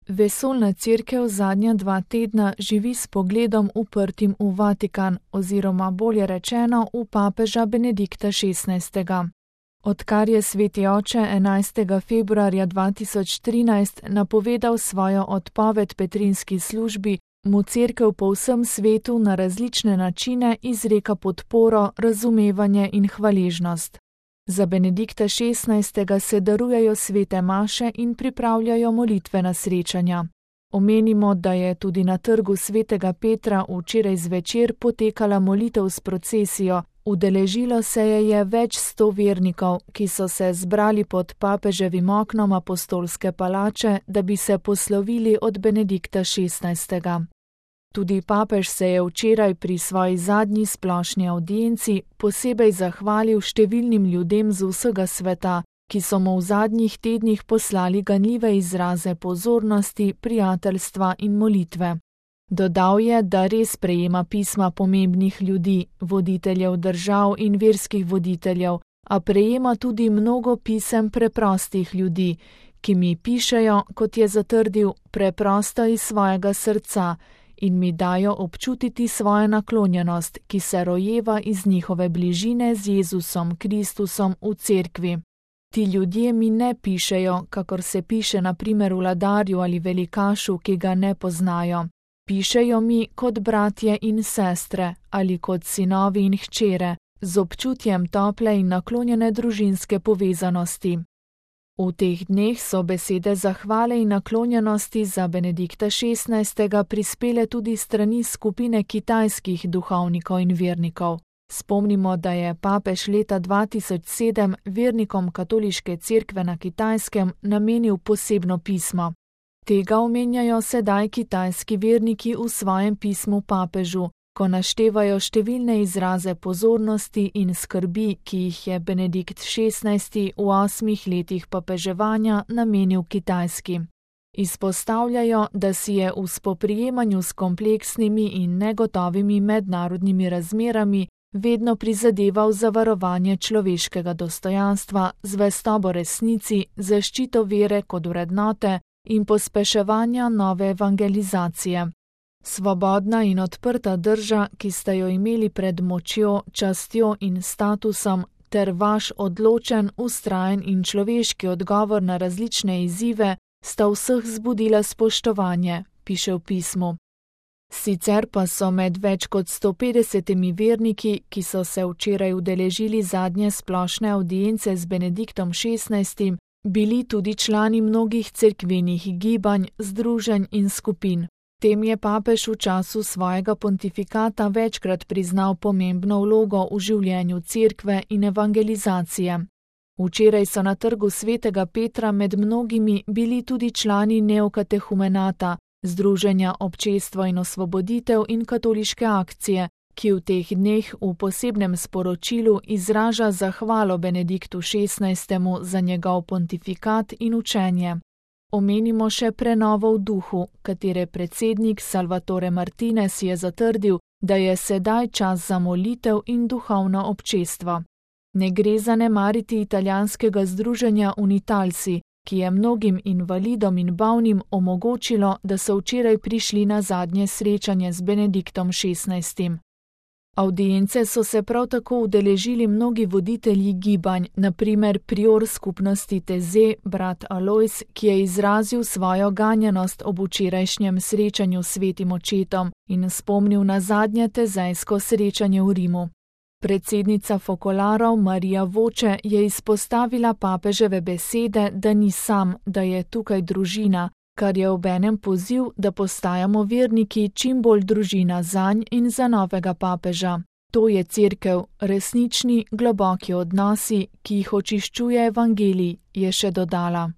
Vesoljna cerkev zadnja 2 tedna živi s pogledom uprtim v Vatikan, oziroma bolje rečeno v papeža Benedikta XVI. Odkar je sveti oče 11. februarja 2013 napovedal svojo odpoved petrinski službi, mu cerkev po vsem svetu na različne načine izreka podporo, razumevanje in hvaležnost. Za Benedikta XVI. Se darujejo svete maše in pripravljajo molitvena srečanja. Omenimo, da je tudi na trgu svetega Petra včeraj zvečer potekala molitev s procesijo, udeležilo se je več 100 vernikov, ki so se zbrali pod papeževim oknom apostolske palače, da bi se poslovili od Benedikta XVI. Tudi papež se je včeraj pri svoji zadnji splošni avdienci posebej zahvalil številnim ljudem z vsega sveta, ki so mu v zadnjih tednih poslali ganljive izraze pozornosti, prijateljstva in molitve. Dodal je, da res prejema pisma pomembnih ljudi, voditeljev držav in verskih voditeljev, a prejema tudi mnogo pisem preprostih ljudi, ki mi pišejo, kot je zatrdil, preprosto iz svojega srca, in mi dajo občutiti svojo naklonjenost, ki se rojeva iz njihove bližine z Jezusom Kristusom v cerkvi. Ti ljudje mi ne pišejo, kakor se piše na primer vladarju ali velikašu, ki ga ne poznajo. Pišejo mi kot bratje in sestre ali kot sinovi in hčere, z občutjem tople in naklonjene družinske povezanosti. V teh dneh so besede zahvale in naklonjenosti za Benedikta XVI. Prispele tudi strani skupine kitajskih duhovnikov in vernikov. Spomnimo, da je papež leta 2007 vernikom katoliške cerkve na Kitajskem namenil posebno pismo. Tega omenjajo sedaj kitajski verniki v svojem pismu papežu, ko naštevajo številne izraze pozornosti in skrbi, ki jih je Benedikt XVI. V 8 letih papeževanja namenil Kitajski. Izpostavljajo, da si je v spoprijemanju s kompleksnimi in negotovimi mednarodnimi razmerami vedno prizadeval za varovanje človeškega dostojanstva, zvestobo resnici, zaščito vere kot vrednote in pospeševanja nove evangelizacije. Svobodna in odprta drža, ki ste jo imeli pred močjo, častjo in statusom, ter vaš odločen, vztrajen in človeški odgovor na različne izzive, sta vseh zbudila spoštovanje, piše v pismu. Sicer pa so med več kot 150 verniki, ki so se včeraj udeležili zadnje splošne avdience z Benediktom XVI., bili tudi člani mnogih cerkvenih gibanj, združenj in skupin. Tem je papež v času svojega pontifikata večkrat priznal pomembno vlogo v življenju cerkve in evangelizacije. Včeraj so na trgu svetega Petra med mnogimi bili tudi člani Neokatehumenata, Združenja Občestvo in osvoboditev in Katoliške akcije, ki v teh dneh v posebnem sporočilu izraža zahvalo Benediktu XVI. Za njegov pontifikat in učenje. Omenimo še prenovo v duhu, katere predsednik Salvatore Martinez je zatrdil, da je sedaj čas za molitev in duhovno občestvo. Ne gre zanemariti italijanskega združenja Unitalsi, ki je mnogim invalidom in bolnim omogočilo, da so včeraj prišli na zadnje srečanje z Benediktom XVI. Avdience so se prav tako udeležili mnogi voditelji gibanj, na primer prior skupnosti Teze, brat Alojz, ki je izrazil svojo ganjenost ob včerajšnjem srečanju s svetim očetom in spomnil na zadnje tezejsko srečanje v Rimu. Predsednica Fokolarov Marija Voče je izpostavila papeževe besede, da ni sam, da je tukaj družina, kar je obenem poziv, da postajamo verniki čim bolj družina zanj in za novega papeža. To je cerkev, resnični, globoki odnosi, ki jih očiščuje evangelij, je še dodala.